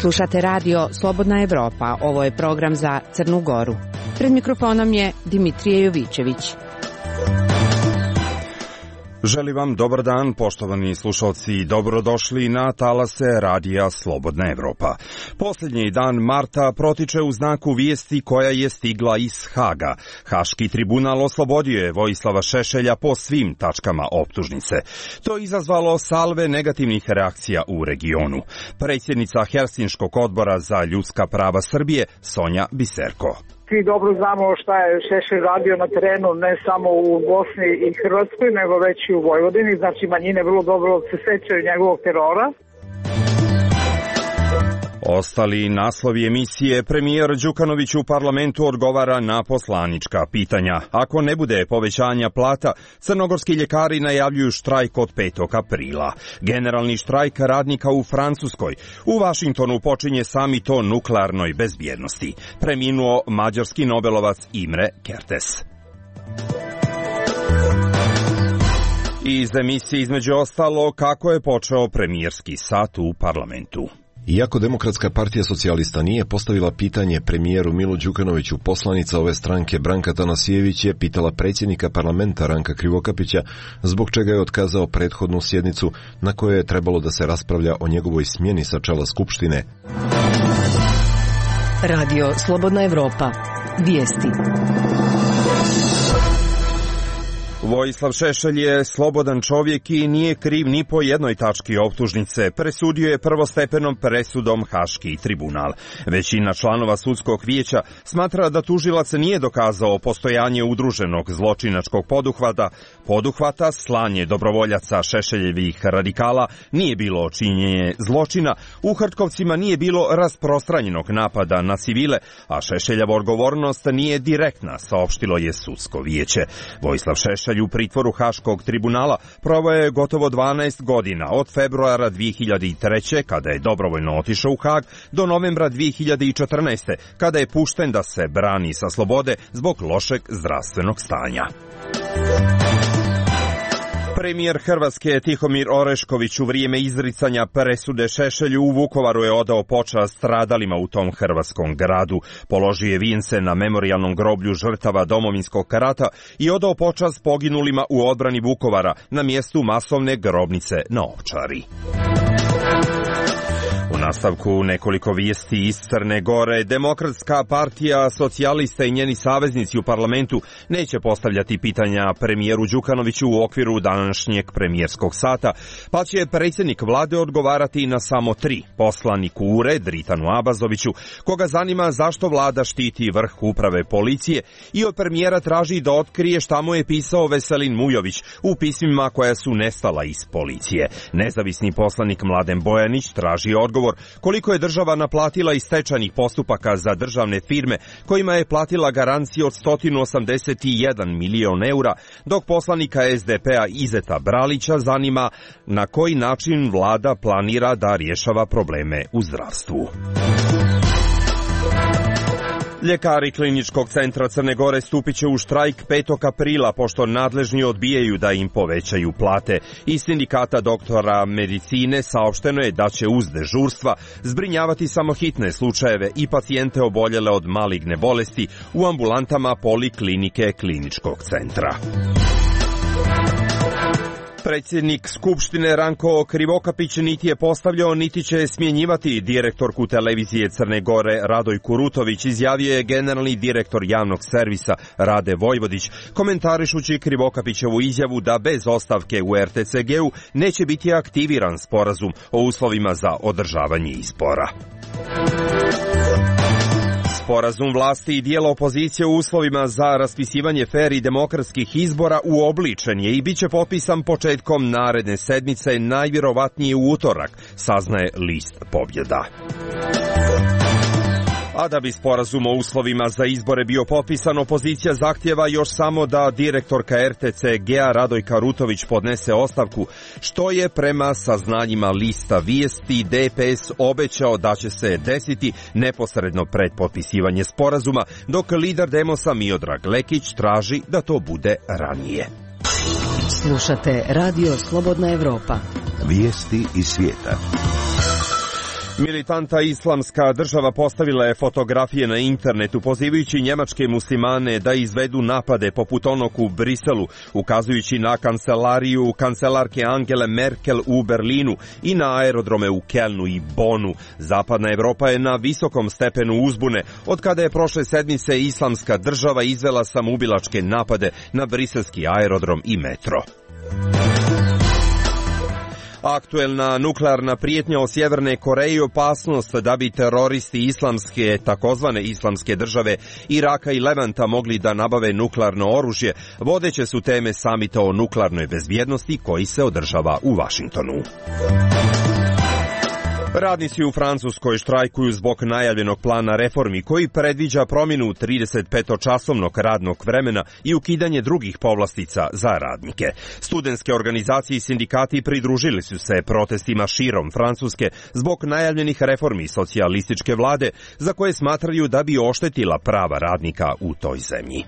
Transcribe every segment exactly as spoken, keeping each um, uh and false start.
Slušate radio Slobodna Evropa, ovo je program za Crnu Goru. Pred mikrofonom je Dimitrije Jovićević. Želim vam dobar dan, poštovani slušalci, dobrodošli na talase radija Slobodna Evropa. Posljednji dan marta protiče u znaku vijesti koja je stigla iz Haga. Haški tribunal oslobodio je Vojislava Šešelja po svim tačkama optužnice. To je izazvalo salve negativnih reakcija u regionu. Predsjednica Helsinškog odbora za ljudska prava Srbije, Sonja Biserko. Svi dobro znamo šta je Šešelj radio na terenu, ne samo u Bosni i Hrvatskoj, nego već i u Vojvodini. Znači, manjine vrlo dobro se sećaju njegovog terora. Ostali naslovi emisije: premijer Đukanović u parlamentu odgovara na poslanička pitanja. Ako ne bude povećanja plata, crnogorski ljekari najavljuju štrajk od petog aprila. Generalni štrajk radnika u Francuskoj. U Vašingtonu počinje samit o nuklearnoj bezbjednosti. Preminuo mađarski nobelovac Imre Kertész. Iz emisije između ostalo kako je počeo premijerski sat u parlamentu. Iako Demokratska partija socijalista nije postavila pitanje premijeru Milu Đukanoviću, poslanica ove stranke Branka Tanasijević je pitala predsjednika parlamenta Ranka Krivokapića zbog čega je otkazao prethodnu sjednicu na kojoj je trebalo da se raspravlja o njegovoj smjeni sa čela Skupštine. Radio Slobodna Evropa. Vijesti. Vojislav Šešelj je slobodan čovjek i nije kriv ni po jednoj tački optužnice, presudio je prvostepenom presudom Haški tribunal. Većina članova sudskog vijeća smatra da tužilac nije dokazao postojanje udruženog zločinačkog poduhvata, poduhvata slanje dobrovoljaca Šešeljevih radikala, nije bilo činjenje zločina, u Hrtkovcima nije bilo rasprostranjenog napada na civile, a Šešeljeva odgovornost nije direktna, saopštilo je sudsko vijeće. Vojislav Šešelj u pritvoru Haškog tribunala proveo je gotovo dvanaest godina, od februara dvije hiljade treće. kada je dobrovoljno otišao u Hag, do novembra dvije hiljade četrnaeste. kada je pušten da se brani sa slobode zbog lošeg zdravstvenog stanja. Premijer Hrvatske Tihomir Orešković u vrijeme izricanja presude Šešelju u Vukovaru je odao počast stradalima u tom hrvatskom gradu. Položio je vijence na memorijalnom groblju žrtava Domovinskog rata i odao počast poginulima u odbrani Vukovara na mjestu masovne grobnice na Ovčari. U nastavku nekoliko vijesti iz Crne Gore. Demokratska partija socijalista i njeni saveznici u parlamentu neće postavljati pitanja premijeru Đukanoviću u okviru današnjeg premijerskog sata, pa će predsjednik vlade odgovarati na samo tri. Poslanik u ured Dritanu Abazoviću, koga zanima zašto vlada štiti vrh uprave policije, i od premijera traži da otkrije šta mu je pisao Veselin Mujović u pismima koja su nestala iz policije. Nezavisni poslanik Mladen Bojanić traži odgovor koliko je država naplatila iz stečajnih postupaka za državne firme kojima je platila garanciju od sto osamdeset jedan milion eura, dok poslanika es de pe a Izeta Bralića zanima na koji način vlada planira da rješava probleme u zdravstvu. Ljekari Kliničkog centra Crne Gore stupit će u štrajk petog aprila, pošto nadležni odbijaju da im povećaju plate. Iz sindikata doktora medicine saopšteno je da će uz dežurstva zbrinjavati samo hitne slučajeve i pacijente oboljele od maligne bolesti u ambulantama poliklinike Kliničkog centra. Predsjednik Skupštine Ranko Krivokapić niti je postavljao, niti će smjenjivati direktorku televizije Crne Gore Radoj Kurutović, izjavio je generalni direktor javnog servisa Rade Vojvodić, komentarišući Krivokapićevu izjavu da bez ostavke u er te ce ge-u neće biti aktiviran sporazum o uslovima za održavanje izbora. Sporazum vlasti i dijela opozicije u uslovima za raspisivanje fer i demokratskih izbora uobličen je i bit će potpisan početkom naredne sedmice, najvjerovatnije u utorak, saznaje list Pobjeda. A da bi sporazum o uslovima za izbore bio potpisan, opozicija zahtjeva još samo da direktorka er te ce ge-a Radojka Rutović podnese ostavku, što je prema saznanjima lista Vijesti de pe es obećao da će se desiti neposredno pred potpisivanje sporazuma, dok lider Demosa Miodrag Lekić traži da to bude ranije. Slušate Radio Slobodna Evropa. Vijesti iz svijeta. Militanta Islamska država postavila je fotografije na internetu pozivajući njemačke muslimane da izvedu napade poput onog u Briselu, ukazujući na kancelariju kancelarke Angele Merkel u Berlinu i na aerodrome u Kelnu i Bonu. Zapadna Evropa je na visokom stepenu uzbune od kada je prošle sedmice Islamska država izvela samoubilačke napade na briselski aerodrom i metro. Aktuelna nuklearna prijetnja od Sjeverne Koreje i opasnost da bi teroristi islamske, takozvane islamske države Iraka i Levanta mogli da nabave nuklearno oružje, vodeće su teme samita o nuklearnoj bezbjednosti koji se održava u Vašingtonu. Radnici u Francuskoj štrajkuju zbog najavljenog plana reformi koji predviđa promjenu tridesetpetočasovnog radnog vremena i ukidanje drugih povlastica za radnike. Studentske organizacije i sindikati pridružili su se protestima širom Francuske zbog najavljenih reformi socijalističke vlade za koje smatraju da bi oštetila prava radnika u toj zemlji.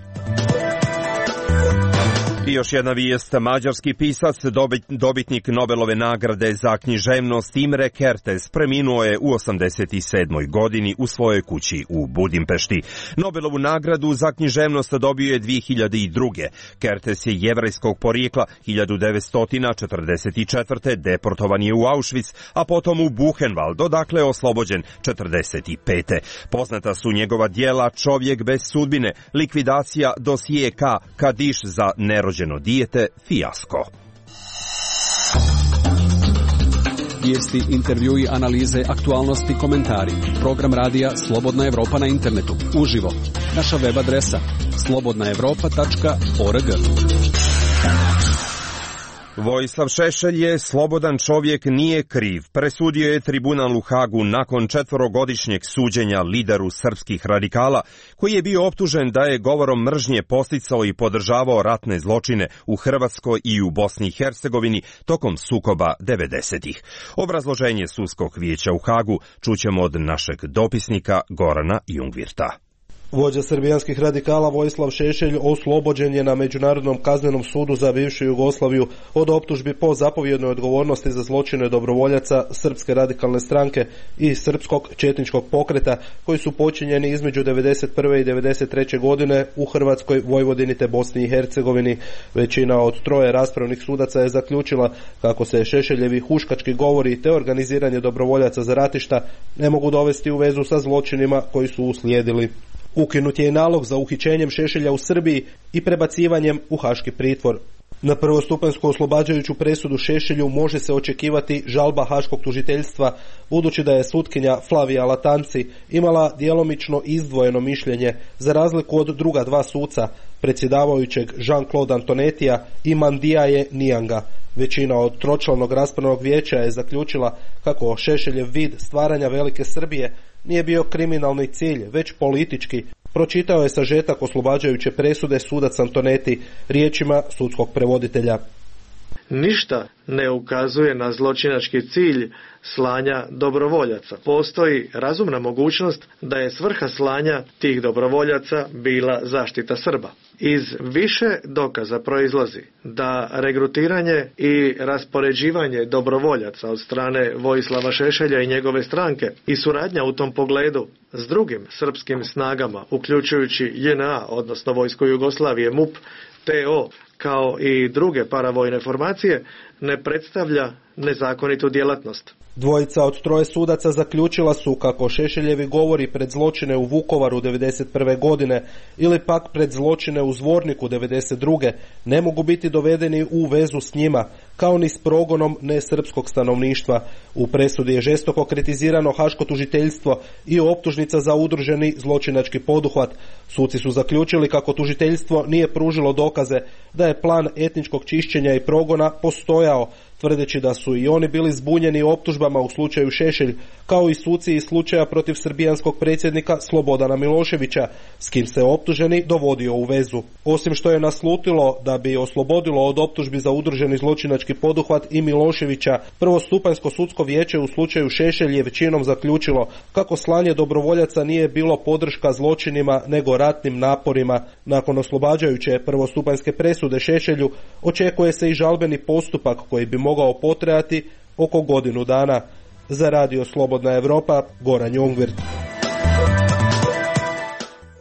I još jedna vijest, mađarski pisac, dobitnik Nobelove nagrade za književnost Imre Kertész preminuo je u osamdeset sedmoj godini u svojoj kući u Budimpešti. Nobelovu nagradu za književnost dobio je dvije hiljade druge. Kertész je jevrejskog porijekla, hiljadu devetsto četrdeset četvrte deportovan je u Auschwitz, a potom u Buchenwald, odakle je oslobođen četrdeset pete. Poznata su njegova djela Čovjek bez sudbine, Likvidacija, Dosije K, Kadiš za nerođeno dijete, Fijasko. Vijesti, intervjui, analize, aktualnosti, komentari. Program radija Slobodna Evropa na internetu. Uživo. Naša web adresa slobodna evropa tačka org. Vojislav Šešelj je slobodan čovjek, nije kriv. Presudio je tribunal u Hagu nakon četvorogodišnjeg suđenja lideru srpskih radikala, koji je bio optužen da je govorom mržnje podsticao i podržavao ratne zločine u Hrvatskoj i u Bosni i Hercegovini tokom sukoba devedesetih. Obrazloženje sudskog vijeća u Hagu čućemo od našeg dopisnika Gorana Jungvirta. Vođa srbijanskih radikala Vojislav Šešelj oslobođen je na Međunarodnom kaznenom sudu za bivšu Jugoslaviju od optužbi po zapovjednoj odgovornosti za zločine dobrovoljaca Srpske radikalne stranke i Srpskog četničkog pokreta koji su počinjeni između devedeset prve i devedeset treće godine u Hrvatskoj, Vojvodini te Bosni i Hercegovini. Većina od troje raspravnih sudaca je zaključila kako se Šešeljevi huškački govori te organiziranje dobrovoljaca za ratišta ne mogu dovesti u vezu sa zločinima koji su uslijedili. Ukinut je i nalog za uhićenjem Šešelja u Srbiji i prebacivanjem u haški pritvor. Na prvostupanjsku oslobađajuću presudu Šešelju može se očekivati žalba haškog tužiteljstva, budući da je sutkinja Flavija Latanci imala djelomično izdvojeno mišljenje, za razliku od druga dva suca, predsjedavajućeg Jean-Claude Antonetija i Mandijaje Nijanga. Većina od tročlanog raspravnog vijeća je zaključila kako Šešeljev vid stvaranja Velike Srbije nije bio kriminalni cilj, već politički. Pročitao je sažetak oslobađajuće presude sudac Antoneti riječima sudskog prevoditelja. Ništa ne ukazuje na zločinački cilj slanja dobrovoljaca. Postoji razumna mogućnost da je svrha slanja tih dobrovoljaca bila zaštita Srba. Iz više dokaza proizlazi da regrutiranje i raspoređivanje dobrovoljaca od strane Vojislava Šešelja i njegove stranke i suradnja u tom pogledu s drugim srpskim snagama, uključujući J N A, odnosno Vojsku Jugoslavije, M U P, T O, kao i druge paravojne formacije, ne predstavlja nezakonitu djelatnost. Dvojica od troje sudaca zaključila su kako Šešeljevi govori pred zločine u Vukovaru devedeset prve godine ili pak pred zločine u Zvorniku devedeset druge ne mogu biti dovedeni u vezu s njima, kao ni s progonom nesrpskog stanovništva. U presudi je žestoko kritizirano haško tužiteljstvo i optužnica za udruženi zločinački poduhvat. Suci su zaključili kako tužiteljstvo nije pružilo dokaze da je plan etničkog čišćenja i progona postojao, tvrdeći da su i oni bili zbunjeni optužbama u slučaju Šešelj, kao i suci iz slučaja protiv srbijanskog predsjednika Slobodana Miloševića, s kim se optuženi dovodio u vezu. Osim što je naslutilo da bi oslobodilo od optužbi za udruženi zločinački poduhvat i Miloševića, prvostupanjsko sudsko vijeće u slučaju Šešelj je većinom zaključilo kako slanje dobrovoljaca nije bilo podrška zločinima nego ratnim naporima. Nakon oslobađajuće prvostupanjske presude Šešelju očekuje se i žalbeni postupak koji bi mogao potrajati oko godinu dana. Za radio Slobodna Evropa, Goran Jungvir.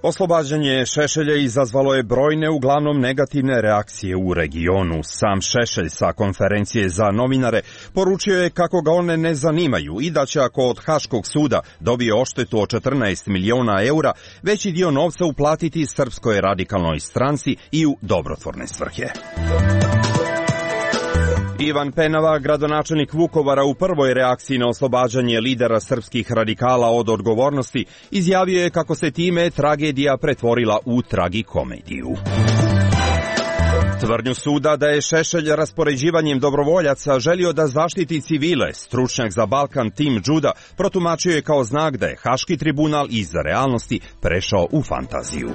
Oslobađanje Šešelja izazvalo je brojne, uglavnom negativne reakcije u regionu. Sam Šešelj sa konferencije za novinare poručio je kako ga one ne zanimaju i da će ako od Haškog suda dobije odštetu od četrnaest miliona eura, veći dio novca uplatiti Srpskoj radikalnoj stranci i u dobrotvorne svrhe. Ivan Penava, gradonačelnik Vukovara, u prvoj reakciji na oslobađanje lidera srpskih radikala od odgovornosti, izjavio je kako se time tragedija pretvorila u tragikomediju. Tvrdnju suda da je Šešelj raspoređivanjem dobrovoljaca želio da zaštiti civile, stručnjak za Balkan Tim Đuda protumačio je kao znak da je Haški tribunal iz realnosti prešao u fantaziju.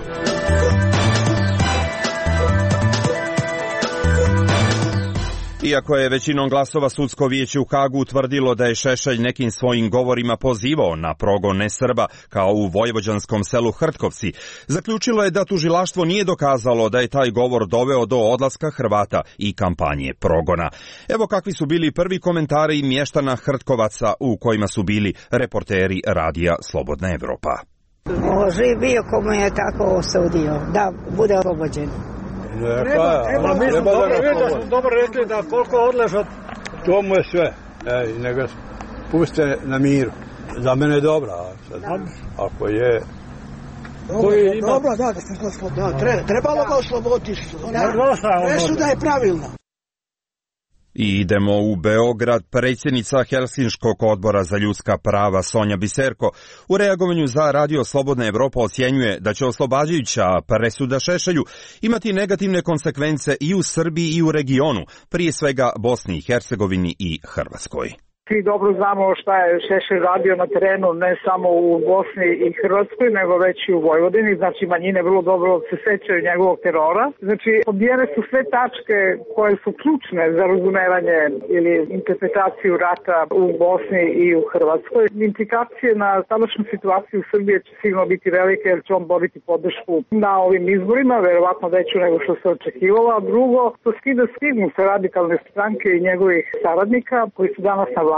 Iako je većinom glasova sudsko vijeće u Hagu utvrdilo da je Šešelj nekim svojim govorima pozivao na progon nesrba kao u vojvođanskom selu Hrtkovci, zaključilo je da tužilaštvo nije dokazalo da je taj govor doveo do odlaska Hrvata i kampanje progona. Evo kakvi su bili prvi komentari mještana Hrtkovaca u kojima su bili reporteri radija Slobodna Evropa. Živ bio komu je tako osudio da bude oslobođen. Treba, treba, mi smo dobro, da smo dobro rekli da koliko odlaže, to mu je sve. Ej, nego puste na miru. Za mene je dobra. Ako je... Dobro, ima... dobro, da, da ste oslobodili. Da, tre, trebalo ga osloboditi. Presuda je pravilna. I idemo u Beograd. Predsjednica Helsinškog odbora za ljudska prava Sonja Biserko u reagovanju za radio Slobodna Evropa ocjenjuje da će oslobađajuća presuda Šešelju imati negativne konsekvence i u Srbiji i u regionu, prije svega Bosni i Hercegovini i Hrvatskoj. Svi dobro znamo šta je Šešelj radio na terenu, ne samo u Bosni i Hrvatskoj, nego već i u Vojvodini. Znači, manjine vrlo dobro se sećaju njegovog terora. Znači, pobijene su sve tačke koje su ključne za razumevanje ili interpretaciju rata u Bosni i u Hrvatskoj. Implikacije na sadašnju situaciju u Srbiji će sigurno biti velike, jer će on boriti podršku na ovim izborima, verovatno veću nego što se očekivalo. A drugo, to skida stigmu sa radikalne stranke i njegovih saradnika koji su danas na vlasti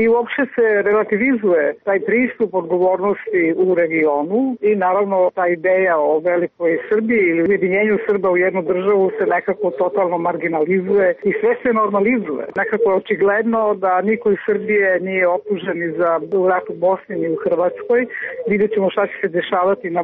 i uopšte se relativizuje taj pristup odgovornosti u regionu i naravno ta ideja o velikoj Srbiji ili ujedinjenju Srba u jednu državu se nekako totalno marginalizuje i sve se normalizuje. Nekako je očigledno da niko iz Srbije nije optužen ni za rat u Bosni ni u Hrvatskoj. Vidjet ćemo šta će se dešavati na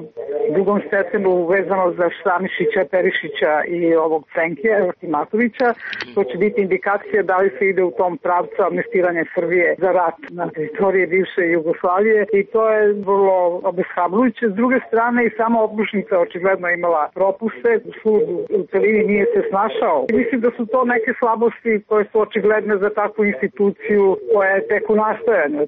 drugom stepenu vezano za Stanišića, Perišića i ovog Cenkija, Timatovića. To će biti indikacija da li se ide u tom pravcu amnestiranja Srbije za rat na teritoriji bivše Jugoslavije i to je vrlo obeshrabrujuće. S druge strane i sama optužnica očigledno imala propuste, sud u celini nije se snašao. I mislim da su to neke slabosti koje su očigledne za takvu instituciju koja je tek u nastajanju.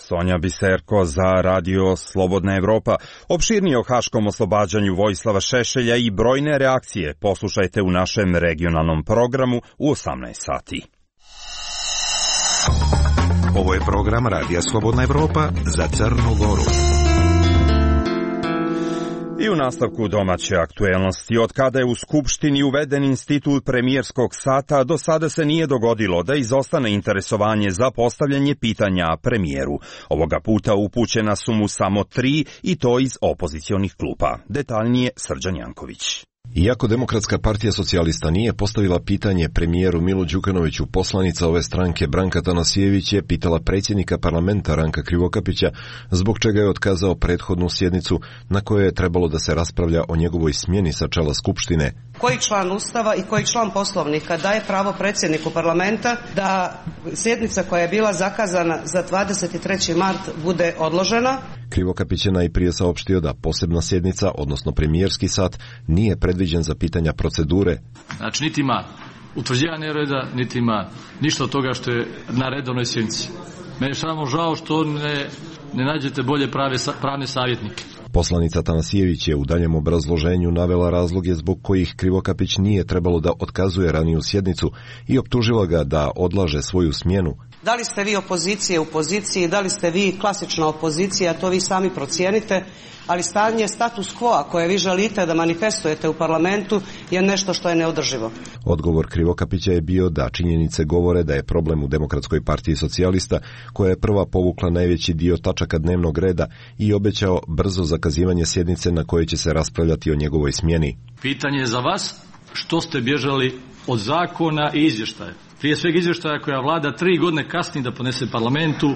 Sonja Biserko za radio Slobodna Evropa. Opširnije o haškom oslobađanju Vojislava Šešelja i brojne reakcije poslušajte u našem regionalnom programu u osamnaest sati. Ovo je program Radija Slobodna Evropa za Crnu Goru. I u nastavku domaće aktuelnosti, od kada je u Skupštini uveden institut premijerskog sata, do sada se nije dogodilo da izostane interesovanje za postavljanje pitanja premijeru. Ovoga puta upućena su mu samo tri i to iz opozicionih klupa. Detaljnije Srđan Janković. Iako Demokratska partija socijalista nije postavila pitanje premijeru Milu Đukanoviću, poslanica ove stranke Branka Tanasijević je pitala predsjednika parlamenta Ranka Krivokapića zbog čega je otkazao prethodnu sjednicu na kojoj je trebalo da se raspravlja o njegovoj smjeni sa čela Skupštine. Koji član Ustava i koji član Poslovnika daje pravo predsjedniku parlamenta da sjednica koja je bila zakazana za dvadeset treći mart bude odložena? Krivokapić je najprije saopštio da posebna sjednica, odnosno premijerski sat, nije predviđen za pitanja procedure. Znači, niti ima utvrđivanje reda, niti ima ništa od toga što je na redovnoj sjednici. Meni je samo žao što ne, ne nađete bolje prave, pravne savjetnike. Poslanica Tanasijević je u daljem obrazloženju navela razloge zbog kojih Krivokapić nije trebalo da otkazuje raniju sjednicu i optužila ga da odlaže svoju smjenu. Da li ste vi opozicije u poziciji, da li ste vi klasična opozicija, to vi sami procijenite, ali stanje status quo koje vi želite da manifestujete u parlamentu je nešto što je neodrživo. Odgovor Krivokapića je bio da činjenice govore da je problem u Demokratskoj partiji socijalista, koja je prva povukla najveći dio tačaka dnevnog reda i obećao brzo zakazivanje sjednice na kojoj će se raspravljati o njegovoj smjeni. Pitanje je za vas, što ste bježali od zakona i izvještaja? Prije svega izvještaja koja vlada tri godine kasni da ponese parlamentu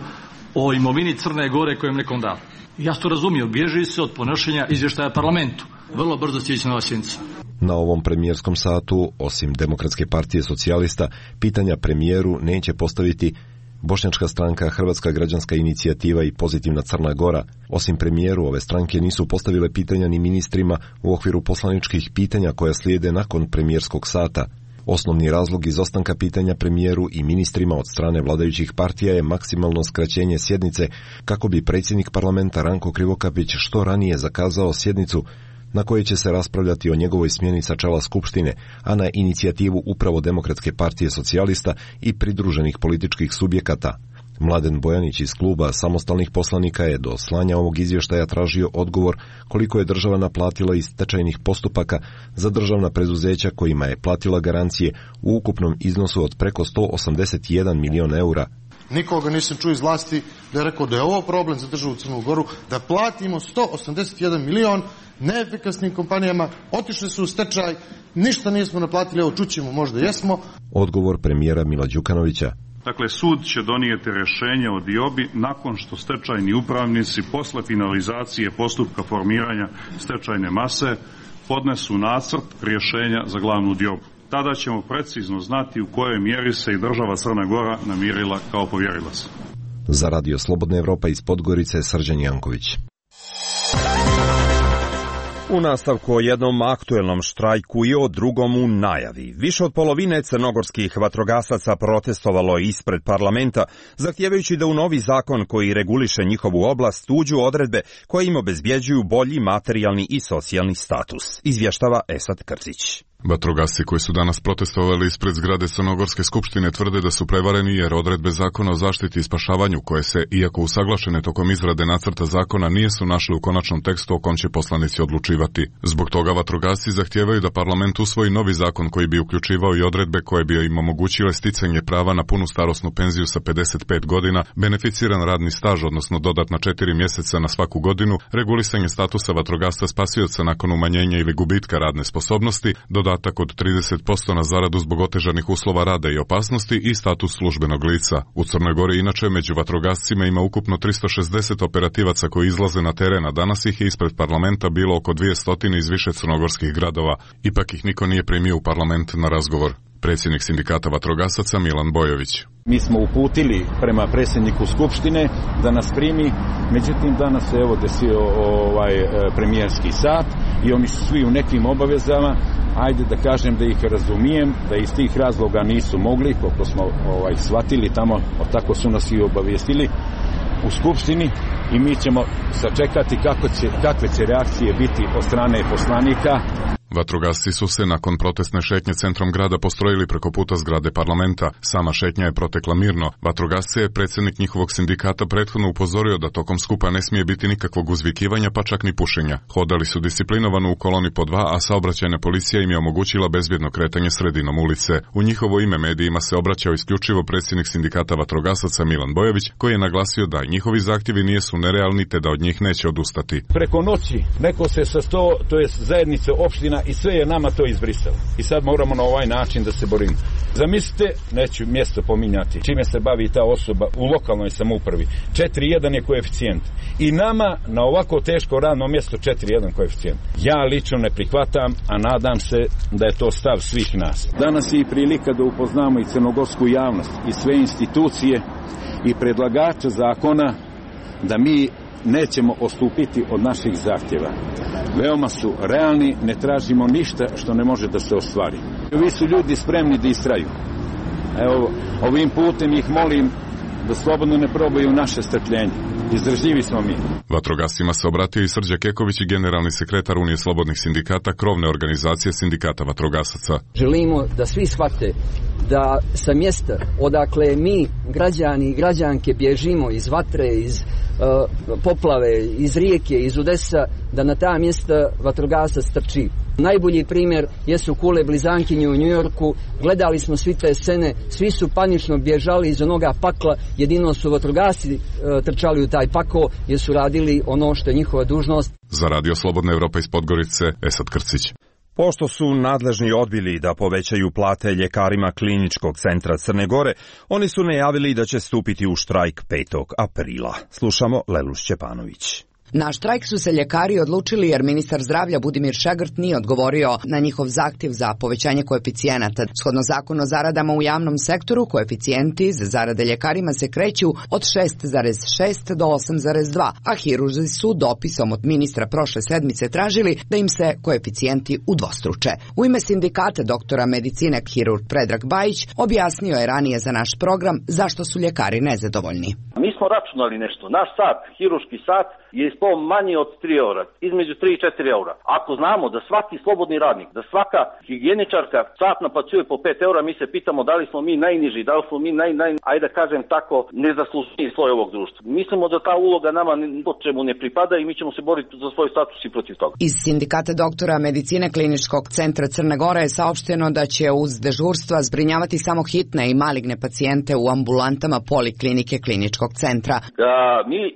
o imovini Crne Gore kojem nekom da. Ja to razumio, bježi se od ponošenja izvještaja parlamentu. Vrlo brzo će ići nova sjednica. Na ovom premijerskom satu, osim Demokratske partije socijalista, pitanja premijeru neće postaviti Bošnjačka stranka, Hrvatska građanska inicijativa i Pozitivna Crna Gora. Osim premijeru, ove stranke nisu postavile pitanja ni ministrima u okviru poslaničkih pitanja koja slijede nakon premijerskog sata. Osnovni razlog izostanka pitanja premijeru i ministrima od strane vladajućih partija je maksimalno skraćenje sjednice kako bi predsjednik parlamenta Ranko Krivokapić što ranije zakazao sjednicu na kojoj će se raspravljati o njegovoj smjeni sa čela Skupštine, a na inicijativu upravo Demokratske partije socijalista i pridruženih političkih subjekata. Mladen Bojanić iz kluba samostalnih poslanika je do slanja ovog izvještaja tražio odgovor koliko je država naplatila iz stečajnih postupaka za državna preduzeća kojima je platila garancije u ukupnom iznosu od preko sto osamdeset jedan milion eura. Nikoga nisam čuo iz vlasti da je rekao da je ovo problem za državu Crnu Goru, da platimo sto osamdeset jedan milion neefikasnim kompanijama, otišli su u stečaj, ništa nismo naplatili, evo čućemo, možda jesmo. Odgovor premijera Mila Đukanovića. Dakle, sud će donijeti rješenje o diobi nakon što stečajni upravnici posle finalizacije postupka formiranja stečajne mase podnesu nacrt rješenja za glavnu diobu. Tada ćemo precizno znati u kojoj mjeri se i država Crna Gora namirila kao povjerilac. Za Radio Slobodna Evropa iz Podgorice, Srđan Janković. U nastavku o jednom aktuelnom štrajku i o drugom u najavi. Više od polovine crnogorskih vatrogasaca protestovalo ispred parlamenta, zahtijevajući da u novi zakon koji reguliše njihovu oblast uđu odredbe koje im obezbjeđuju bolji materijalni i socijalni status. Izvještava Esad Krcić. Vatrogasci koji su danas protestovali ispred zgrade Crnogorske skupštine tvrde da su prevareni jer odredbe zakona o zaštiti i spašavanju koje se, iako usaglašene tokom izrade nacrta zakona, nisu našli u konačnom tekstu o kom će poslanici odlučivati. Zbog toga vatrogasci zahtijevaju da parlament usvoji novi zakon koji bi uključivao i odredbe koje bi im omogućile sticanje prava na punu starosnu penziju sa pedeset pet godina, beneficiran radni staž, odnosno dodatna četiri mjeseca na svaku godinu, regulisanje statusa vatrogasca spasioca nakon umanjenja ili gubitka radne sposobnosti, dodatak od trideset posto na zaradu zbog otežanih uslova rada i opasnosti i status službenog lica. U Crnoj Gori inače među vatrogascima ima ukupno tristo šezdeset operativaca koji izlaze na teren, a danas ih je ispred parlamenta bilo oko dvjesto iz više crnogorskih gradova. Ipak ih niko nije primio u parlament na razgovor. Predsjednik sindikata vatrogasaca Milan Bojović. Mi smo uputili prema predsjedniku Skupštine da nas primi, međutim danas se evo desio ovaj premijerski sat i oni su svi u nekim obavezama. Ajde da kažem da ih razumijem, da iz tih razloga nisu mogli, koliko smo ovaj, shvatili tamo, tako su nas i obavijestili u Skupštini i mi ćemo sačekati kako će, kakve će reakcije biti od strane poslanika. Vatrogasci su se nakon protestne šetnje centrom grada postrojili preko puta zgrade parlamenta. Sama šetnja je protekla mirno. Vatrogasce je predsjednik njihovog sindikata prethodno upozorio da tokom skupa ne smije biti nikakvog uzvikivanja, pa čak ni pušenja. Hodali su disciplinovano u koloni po dva, a saobraćajna policija im je omogućila bezbjedno kretanje sredinom ulice. U njihovo ime medijima se obraćao isključivo predsjednik sindikata vatrogasaca Milan Bojović, koji je naglasio da njihovi zahtjevi nisu nerealni te da od njih neće odustati. Preko noći neko se sa sto, to je zajednice opština i sve je nama to izbrisalo. I sad moramo na ovaj način da se borimo. Zamislite, neću mjesto pominjati, čime se bavi ta osoba u lokalnoj samoupravi. četiri jedan je koeficijent. I nama na ovako teško radno mjesto četiri jedan koeficijent. Ja lično ne prihvatam, a nadam se da je to stav svih nas. Danas je i prilika da upoznamo i crnogorsku javnost i sve institucije i predlagača zakona da mi nećemo odstupiti od naših zahtjeva. Veoma su realni, ne tražimo ništa što ne može da se ostvari. Vi su ljudi spremni da istraju. Evo, ovim putem ih molim da slobodno ne probaju naše strpljenje. izdržljivi smo mi. Vatrogascima se obratio i Srđa Keković i generalni sekretar Unije slobodnih sindikata, krovne organizacije sindikata vatrogasaca. Želimo da svi shvate da sa mjesta odakle mi, građani i građanke, bježimo iz vatre, iz uh, poplave, iz rijeke, iz udesa, da na ta mjesta vatrogasac trči. Najbolji primjer jesu kule blizankinje u Njujorku. Gledali smo svi te scene, svi su panično bježali iz onoga pakla, jedino su vatrogasci uh, trčali u taj pakao jer su radili ono što je njihova dužnost. Za Radio Slobodna Evropa iz Podgorice, Esad Krcić. Pošto su nadležni odbili da povećaju plate ljekarima Kliničkog centra Crne Gore, oni su najavili da će stupiti u štrajk petog aprila. Slušamo Lelu Šćepanović. Na štrajk su se ljekari odlučili jer ministar zdravlja Budimir Šegrt nije odgovorio na njihov zahtjev za povećanje koeficijenata. Shodno zakonu o zaradama u javnom sektoru, koeficijenti za zarade ljekarima se kreću od šest zarez šest do osam zarez dva, a hirurzi su dopisom od ministra prošle sedmice tražili da im se koeficijenti udvostruče. U ime sindikata doktora medicine hirurg Predrag Bajić objasnio je ranije za naš program zašto su ljekari nezadovoljni. Mi smo računali nešto. Naš sat, hirurški sat, je ispao manji od tri eura, između tri i četiri eura. Ako znamo da svaki slobodni radnik, da svaka higijeničarka sat naplaćuje po pet eura, mi se pitamo da li smo mi najniži, da li smo mi naj, naj, ajde da kažem tako, nezaslužniji sloj ovog društva. Mislimo da ta uloga nama po čemu ne pripada i mi ćemo se boriti za svoj status i protiv toga. Iz sindikata doktora medicine Kliničkog centra Crne Gore je saopšteno da će uz dežurstva zbrinjavati samo hitne i maligne pacijente u ambulantama poliklinike Kliničkog centra. A, mi a,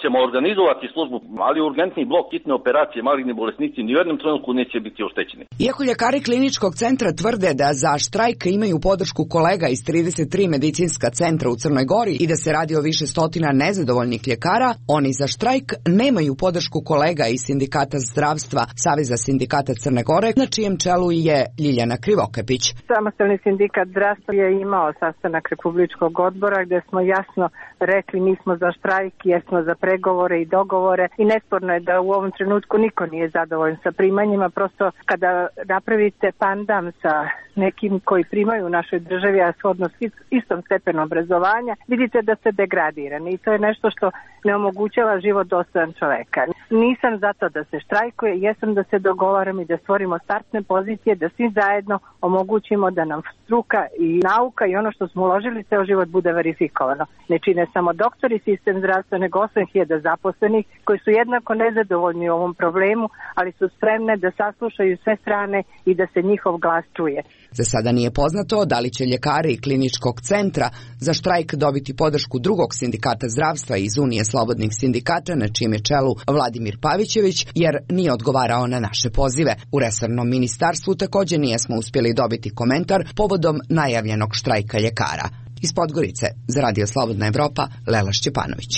ćemo organizovati službu, ali urgentni blok hitne operacije, maligni bolesnici ni u jednom trenutku neće biti oštećeni. Iako ljekari Kliničkog centra tvrde da za štrajk imaju podršku kolega iz trideset tri medicinska centra u Crnoj Gori i da se radi o više stotina nezadovoljnih ljekara, oni za štrajk nemaju podršku kolega iz sindikata zdravstva Saveza sindikata Crne Gore, na čijem čelu je Ljiljana Krivokapić. Samostalni sindikat zdravstva je imao sastanak Republičkog odbora gdje smo jasno rekli mi smo za štrajk, jesmo za pregovore i dogovore i nesporno je da u ovom trenutku niko nije zadovoljan sa primanjima. Prosto kada napravite pandam sa nekim koji primaju u našoj državi, a shodno istom stepenu obrazovanja, vidite da ste degradirani i to je nešto što ne omogućava život dostojan čoveka. Nisam zato da se štrajkuje, jesam da se dogovaramo i da stvorimo startne pozicije, da svi zajedno omogućimo da nam struka i nauka i ono što smo uložili ceo život bude verifikovano. Ne čine samo doktori sistem zdravstva, nego osam hiljada zaposlenih koji su jednako nezadovoljni u ovom problemu, ali su spremne da saslušaju sve strane i da se njihov glas čuje. Za sada nije poznato da li će ljekari Kliničkog centra za štrajk dobiti podršku drugog sindikata zdravstva iz Unije slobodnih sindikata, na čijem je čelu Vladimir Pavićević, jer nije odgovarao na naše pozive. U resornom ministarstvu također nijesmo uspjeli dobiti komentar povodom najavljenog štrajka ljekara. Iz Podgorice, za Radio Slobodna Evropa, Lela Šćepanović.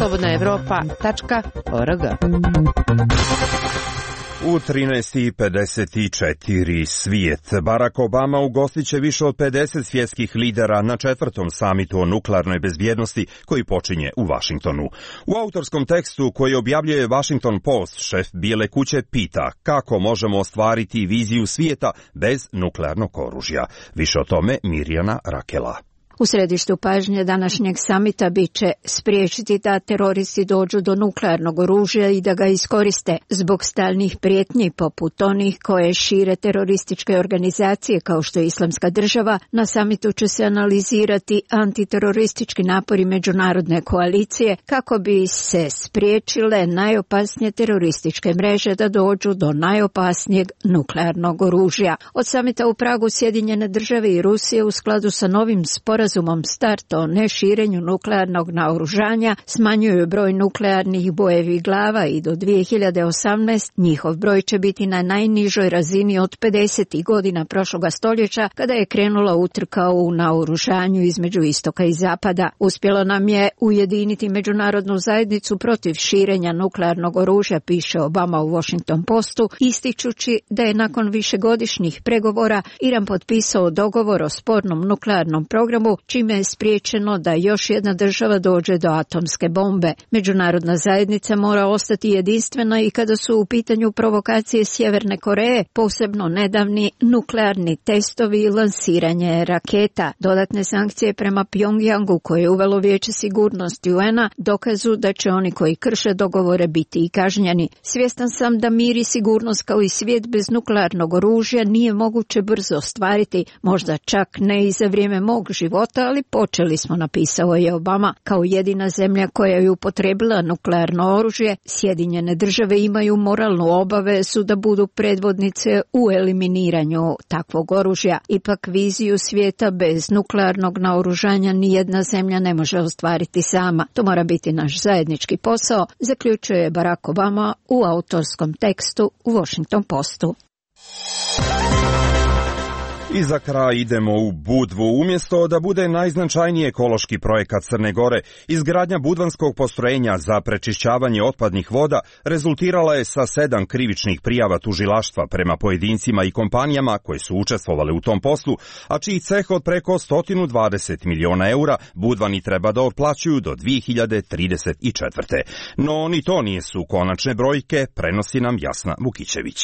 slobodna evropa tačka org. U trinaest i pedeset četiri svijet. Barack Obama ugostit će više od pedeset svjetskih lidera na četvrtom samitu o nuklearnoj bezbjednosti koji počinje u Vašingtonu. U autorskom tekstu koji objavljuje Washington Post, šef Bijele kuće pita kako možemo ostvariti viziju svijeta bez nuklearnog oružja. Više o tome Mirjana Rakela. U središtu pažnje današnjeg samita bit će spriječiti da teroristi dođu do nuklearnog oružja i da ga iskoriste zbog stalnih prijetnji poput onih koje šire terorističke organizacije kao što je Islamska država. Na samitu će se analizirati antiteroristički napori međunarodne koalicije kako bi se spriječile najopasnije terorističke mreže da dođu do najopasnijeg nuklearnog oružja. Od samita u Pragu Sjedinjene države i Rusije u skladu sa novim sporazumom START o neširenju nuklearnog naoružanja smanjuju broj nuklearnih bojevih glava i do dvije hiljade osamnaeste. njihov broj će biti na najnižoj razini od pedesetih godina prošloga stoljeća kada je krenula utrka u naoružanju između istoka i zapada. Uspjelo nam je ujediniti međunarodnu zajednicu protiv širenja nuklearnog oružja, piše Obama u Washington Postu, ističući da je nakon višegodišnjih pregovora Iran potpisao dogovor o spornom nuklearnom programu državu, čime je spriječeno da još jedna država dođe do atomske bombe. Međunarodna zajednica mora ostati jedinstvena i kada su u pitanju provokacije Sjeverne Koreje, posebno nedavni nuklearni testovi i lansiranje raketa. Dodatne sankcije prema Pjongjangu koje je uvelo Vijeće sigurnosti U N A dokazu da će oni koji krše dogovore biti i kažnjeni. Svjestan sam da mir i sigurnost kao i svijet bez nuklearnog oružja nije moguće brzo ostvariti, možda čak ne i za vrijeme mog života, ali počeli smo, napisao je Obama. Kao jedina zemlja koja je upotrijebila nuklearno oružje, Sjedinjene države imaju moralnu obavezu da budu predvodnice u eliminiranju takvog oružja. Ipak viziju svijeta bez nuklearnog naoružanja nijedna zemlja ne može ostvariti sama. To mora biti naš zajednički posao, zaključuje Barack Obama u autorskom tekstu u Washington Postu. I za kraj idemo u Budvu. Umjesto da bude najznačajniji ekološki projekat Crne Gore, izgradnja budvanskog postrojenja za prečišćavanje otpadnih voda rezultirala je sa sedam krivičnih prijava tužilaštva prema pojedincima i kompanijama koje su učestvovale u tom poslu, a čiji ceh od preko sto dvadeset miliona eura Budvani treba da otplaćuju do dvije hiljade trideset četvrte. No ni to nisu konačne brojke, prenosi nam Jasna Vukićević.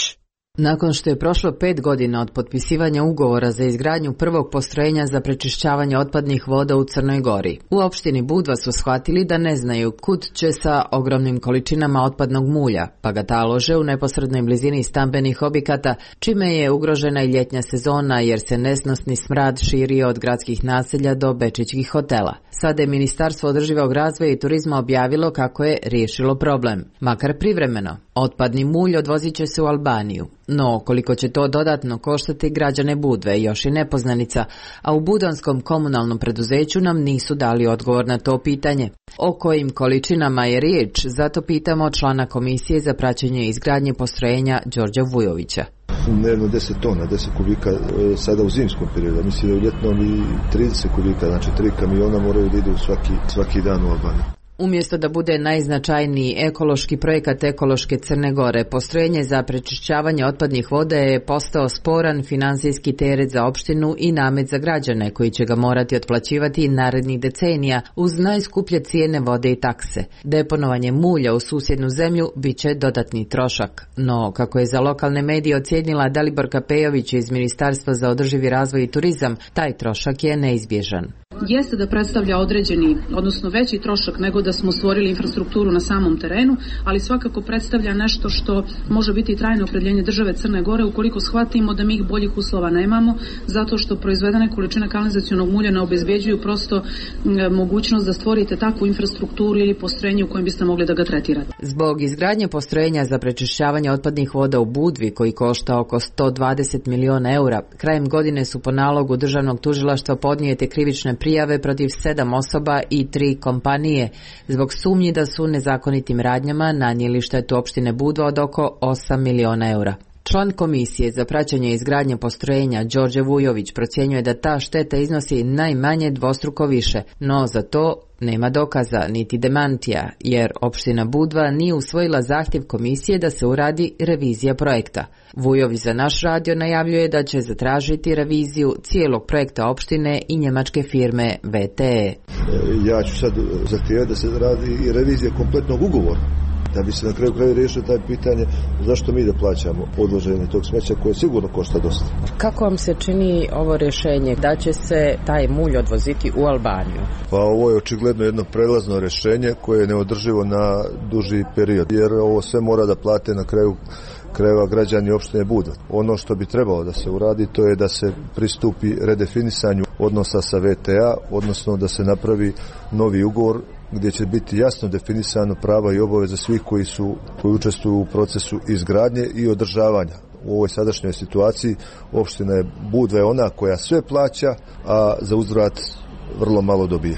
Nakon što je prošlo pet godina od potpisivanja ugovora za izgradnju prvog postrojenja za prečišćavanje otpadnih voda u Crnoj Gori, u opštini Budva su shvatili da ne znaju kud će sa ogromnim količinama otpadnog mulja, pa ga talože u neposrednoj blizini stambenih objekata, čime je ugrožena i ljetnja sezona jer se nesnosni smrad širio od gradskih naselja do bečićkih hotela. Sada je Ministarstvo održivog razvoja i turizma objavilo kako je riješilo problem, makar privremeno. Otpadni mulj odvozit će se u Albaniju. No, koliko će to dodatno koštati građane Budve još i nepoznanica, a u budanskom komunalnom preduzeću nam nisu dali odgovor na to pitanje. O kojim količinama je riječ, zato pitamo člana Komisije za praćenje izgradnje postrojenja Đorđa Vujovića. Dnevno deset tona, deset kubika sada u zimskom periodu, mislim da u ljetnom i trideset kubika, znači tri kamiona moraju da idu svaki, svaki dan u Albaniju. Umjesto da bude najznačajniji ekološki projekat ekološke Crne Gore, postrojenje za prečišćavanje otpadnih voda je postao sporan finansijski teret za opštinu i namet za građane koji će ga morati otplaćivati narednih decenija uz najskuplje cijene vode i takse. Deponovanje mulja u susjednu zemlju bit će dodatni trošak. No, kako je za lokalne medije ocijenila Daliborka Pejović iz Ministarstva za održivi razvoj i turizam, taj trošak je neizbježan. Jeste da predstavlja određeni, odnosno veći trošak nego da smo stvorili infrastrukturu na samom terenu, ali svakako predstavlja nešto što može biti trajno opredjeljenje države Crne Gore ukoliko shvatimo da mi boljih uslova nemamo, zato što proizvedene količine kanalizacionog mulja ne obezbeđuju prosto mogućnost da stvorite takvu infrastrukturu ili postrojenje u kojem biste mogli da ga tretirate. Zbog izgradnje postrojenja za prečišćavanje otpadnih voda u Budvi, koji košta oko sto dvadeset miliona eura, krajem godine su po nalogu državnog tužilaštva podnijete krivične prijave protiv sedam osoba i tri kompanije zbog sumnji da su nezakonitim radnjama nanijeli štetu opštine Budva od oko osam miliona eura. Član Komisije za praćenje izgradnje postrojenja Đorđe Vujović procjenjuje da ta šteta iznosi najmanje dvostruko više, no za to nema dokaza niti demantija, jer opština Budva nije usvojila zahtjev komisije da se uradi revizija projekta. Vujović za naš radio najavljuje da će zatražiti reviziju cijelog projekta opštine i njemačke firme V T E. Ja ću sad zahtijevati da se radi i revizija kompletnog ugovora, da bi se na kraju kraju riješilo taj pitanje zašto mi da plaćamo odloženje tog smeća koje sigurno košta dosta. Kako vam se čini ovo rješenje da će se taj mulj odvoziti u Albaniju? Pa ovo je očigledno jedno prelazno rješenje koje je neodrživo na duži period, jer ovo sve mora da plate na kraju krajeva građani opštine Budva. Ono što bi trebalo da se uradi to je da se pristupi redefinisanju odnosa sa V T A, odnosno da se napravi novi ugovor gdje će biti jasno definisano prava i obaveze svih koji su koji učestvuju u procesu izgradnje i održavanja. U ovoj sadašnjoj situaciji opština je Budva je ona koja sve plaća, a za uzvrat vrlo malo dobija.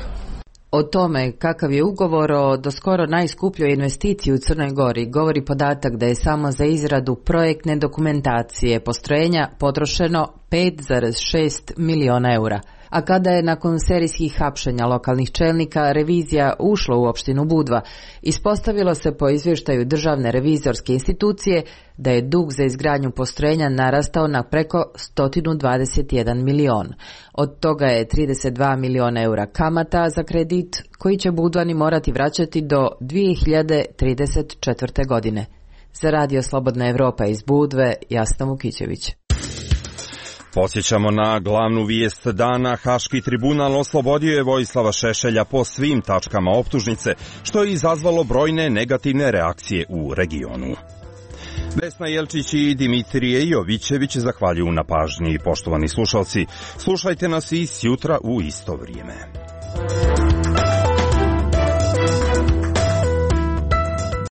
O tome kakav je ugovor o doskoro najskupljoj investiciji u Crnoj Gori govori podatak da je samo za izradu projektne dokumentacije postrojenja potrošeno pet zarez šest miliona eura. A kada je nakon serijskih hapšenja lokalnih čelnika revizija ušla u opštinu Budva, ispostavilo se po izvještaju Državne revizorske institucije da je dug za izgradnju postrojenja narastao na preko sto dvadeset jedan milion. Od toga je trideset dva miliona eura kamata za kredit koji će Budvani morati vraćati do dvije hiljade trideset četvrte. godine. Za Radio Slobodna Evropa iz Budve, Jasna Vukićević. Podsjećamo na glavnu vijest dana. Haški tribunal oslobodio je Vojislava Šešelja po svim tačkama optužnice, što je izazvalo brojne negativne reakcije u regionu. Vesna Jelčić i Dimitrije Jovićević zahvaljuju na pažnji. Poštovani slušalci, slušajte nas i sjutra u isto vrijeme.